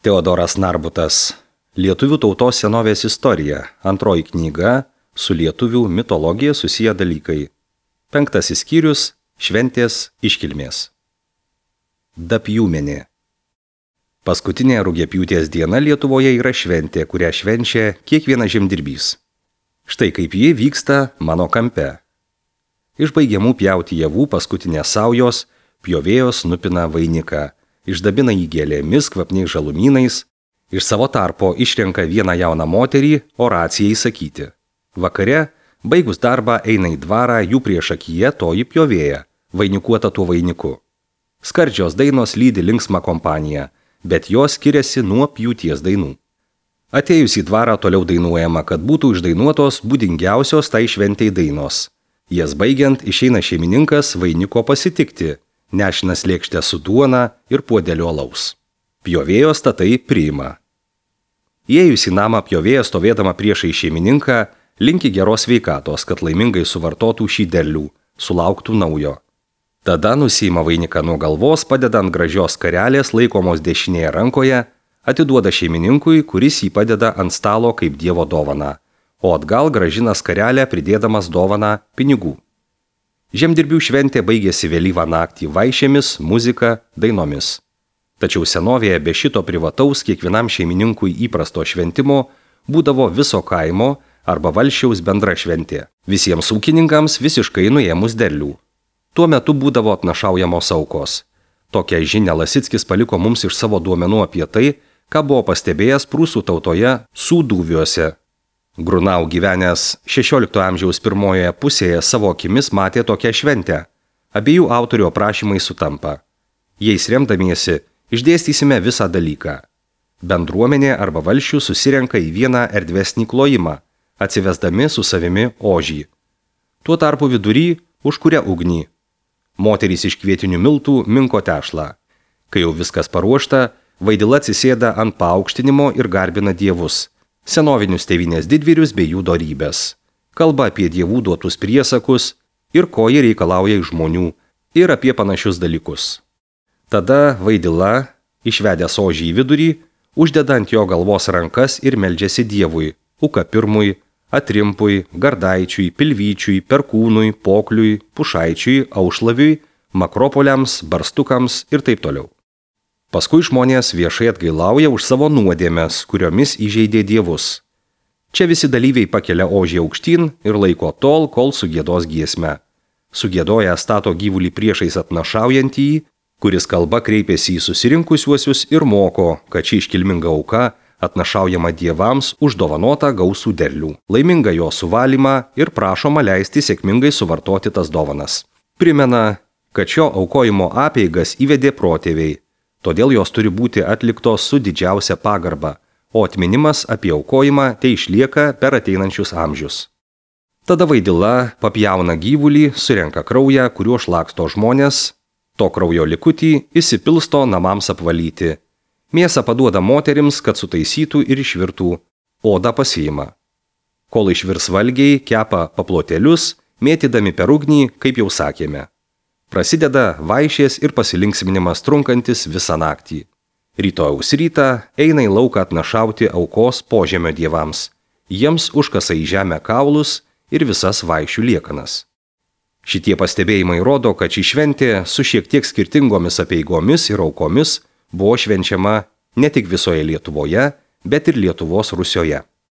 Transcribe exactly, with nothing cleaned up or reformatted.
Teodoras Narbutas. Lietuvių tautos senovės istorija. Antroji knyga. Su lietuvių mitologija susiję dalykai. Penktasis skyrius. Šventės iškilmės. Dapjūmenė. Paskutinė rugiapjūtės diena Lietuvoje yra šventė, kurią švenčia kiekvienas žemdirbys. Štai kaip ji vyksta mano kampe. Iš baigiamų pjauti javų paskutinės saujos, pjovėjos nupina vainiką, išdabina jį gėlėmis, kvapniais žalumynais, iš savo tarpo išrenka vieną jauną moterį oracijai sakyti. Vakare, baigus darbą, eina į dvarą jų priešakyje toji pjovėja, vainikuota tuo vainiku. Skardžios dainos lydi linksmą kompaniją, bet jos skiriasi nuo pjūties dainų. Atėjus į dvarą toliau dainuojama, kad būtų išdainuotos būdingiausios tai šventei dainos. Jas baigiant išeina šeimininkas vainiko pasitikti, nešinas lėkštę su duona ir puodeliu alaus. Pjovėjos tatai priima. Įėjus į namą pjovėja stovėdama priešai šeimininką, linki geros sveikatos, kad laimingai suvartotų šį derlių, sulauktų naujo. Tada nusiima vainiką nuo galvos, padeda ant gražios skarelės laikomos dešinėje rankoje, atiduoda šeimininkui, kuris jį padeda ant stalo kaip Dievo dovaną, o atgal grąžina skarelę pridėdamas dovaną pinigų. Žemdirbių šventė baigėsi vėlyvą naktį vaišėmis, muzika, dainomis. Tačiau senovėje be šito privataus kiekvienam šeimininkui įprasto šventimo būdavo viso kaimo arba valsčiaus bendra šventė. Visiems ūkininkams visiškai nuėmus derlių. Tuo metu būdavo atnašaujamos aukos. Tokią žinią Lasickis paliko mums iš savo duomenų apie tai, ką buvo pastebėjęs prūsų tautoje Sūduviuose. Grunau gyvenęs šešiolikto amžiaus pirmojoje pusėje savo akimis matė tokią šventę. Abiejų autorių aprašymai sutampa. Jais remdamiesi išdėstysime visą dalyką. Bendruomenė arba valsčių susirenka į vieną erdvesnį klojimą, atsivesdami su savimi ožį. Tuo tarpu vidury užkuria ugnį. Moterys iš kvietinių miltų minko tešlą. Kai jau viskas paruošta, vaidila atsisėda ant paaukštinimo ir garbina dievus, senovinius tėvynės didvyrius bei jų dorybės. Kalba apie dievų duotus priesakus ir ko jie reikalauja iš žmonių ir apie panašius dalykus. Tada vaidila, išvedęs ožį į vidurį, uždeda ant jo galvos rankas ir meldžiasi dievui, ukapirmui, atrimpui, gardaičiui, pilvyčiui, perkūnui, pokliui, pušaičiui, aušlaviui, makropoliams, barstukams ir taip toliau. Paskui žmonės viešai atgailauja už savo nuodėmes, kuriomis įžeidė dievus. Čia visi dalyviai pakelia ožį aukštyn ir laiko tol, kol sugiedos giesmę. Sugiedoja stato gyvulį priešais atnašaujantįjį, kuris kalba kreipiasi į susirinkusiuosius ir moko, kad ši iškilminga auka atnašaujama dievams už dovanotą gausų derlių, laimingą jo suvalymą ir prašoma leisti sėkmingai suvartoti tas dovanas. Primena, kad šio aukojimo apeigas įvedė protėviai, todėl jos turi būti atliktos su didžiausia pagarba, o atminimas apie aukojimą tai išlieka per ateinančius amžius. Tada vaidila papjauna gyvulį, surenka kraują, kuriuo šlaksto žmonės, to kraujo likutį įsipilsto namams apvalyti. Mėsą paduoda moterims, kad sutaisytų ir išvirtų, odą pasiima. Kol išvirs valgiai, kepa paplotėlius, mėtydami per ugnį, kaip jau sakėme. Prasideda vaišės ir pasilinksminimas trunkantis visą naktį. Rytojaus rytą eina į lauką atnašauti aukos požemio dievams. Jiems užkasa į žemę kaulus ir visas vaišių liekanas. Šitie pastebėjimai rodo, kad ši šventė su šiek tiek skirtingomis apeigomis ir aukomis buvo švenčiama ne tik visoje Lietuvoje, bet ir Lietuvos Rusioje.